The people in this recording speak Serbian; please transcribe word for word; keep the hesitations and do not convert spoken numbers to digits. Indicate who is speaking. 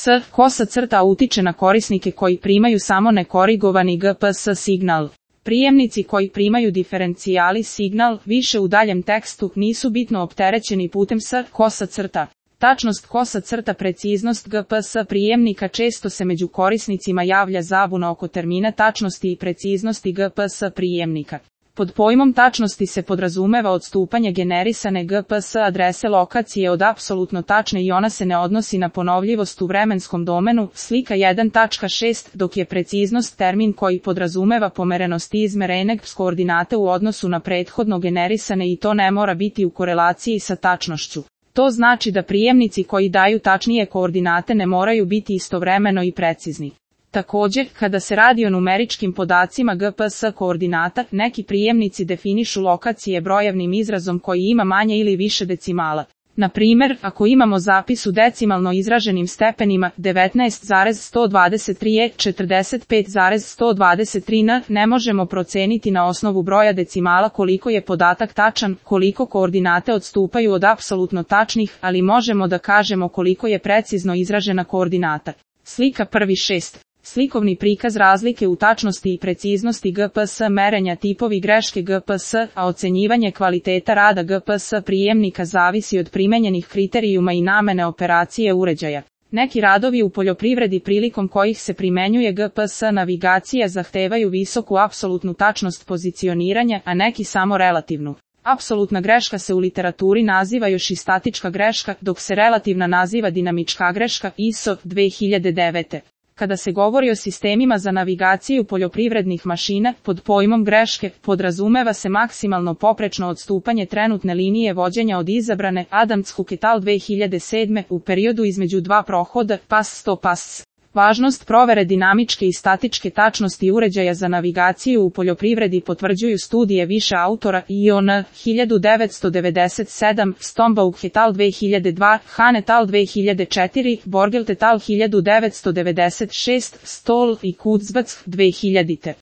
Speaker 1: S. Kosa crta utiče na korisnike koji primaju samo nekorigovani G P S signal. Prijemnici koji primaju diferencijali signal više u daljem tekstu nisu bitno opterećeni putem S. Kosa crta. Tačnost kosa crta preciznost G P S prijemnika često se među korisnicima javlja zabuna oko termina tačnosti i preciznosti G P S prijemnika. Pod pojmom tačnosti se podrazumeva odstupanje generisane G P S adrese lokacije od apsolutno tačne i ona se ne odnosi na ponovljivost u vremenskom domenu, slika jedan tačka šest, dok je preciznost termin koji podrazumeva pomerenost izmerenog s koordinate u odnosu na prethodno generisane i to ne mora biti u korelaciji sa tačnošću. To znači da prijemnici koji daju tačnije koordinate ne moraju biti istovremeno i precizni. Također, kada se radi o numeričkim podacima G P S koordinata, neki prijemnici definišu lokacije brojevnim izrazom koji ima manje ili više decimala. Na primjer, ako imamo zapis u decimalno izraženim stepenima devetnaest zarez sto dvadeset tri e četrdeset pet zarez sto dvadeset tri n, ne možemo proceniti na osnovu broja decimala koliko je podatak tačan, koliko koordinate odstupaju od apsolutno tačnih, ali možemo da kažemo koliko je precizno izražena koordinata. Slika prvi šest. Slikovni prikaz razlike u tačnosti i preciznosti G P S merenja tipovi greške G P S, a ocenjivanje kvaliteta rada G P S prijemnika zavisi od primenjenih kriterijuma i namene operacije uređaja. Neki radovi u poljoprivredi prilikom kojih se primenjuje G P S navigacija zahtevaju visoku apsolutnu tačnost pozicioniranja, a neki samo relativnu. Apsolutna greška se u literaturi naziva još i statička greška, dok se relativna naziva dinamička greška I S O dve hiljade devete. Kada se govori o sistemima za navigaciju poljoprivrednih mašina, pod pojmom greške, podrazumeva se maksimalno poprečno odstupanje trenutne linije vođenja od izabrane Adams-Cook et al. dve hiljade sedme u periodu između dva prohoda, pas sto pas. Važnost provere dinamičke i statičke tačnosti uređaja za navigaciju u poljoprivredi potvrđuju studije više autora I O N hiljadu devetsto devedeset sedam, Stombaugh et al. dve hiljade dva, Han et al. dve hiljade četiri, Borgelt et al. hiljadu devetsto devedeset šest, Stoll i Kurzweil dve hiljadite.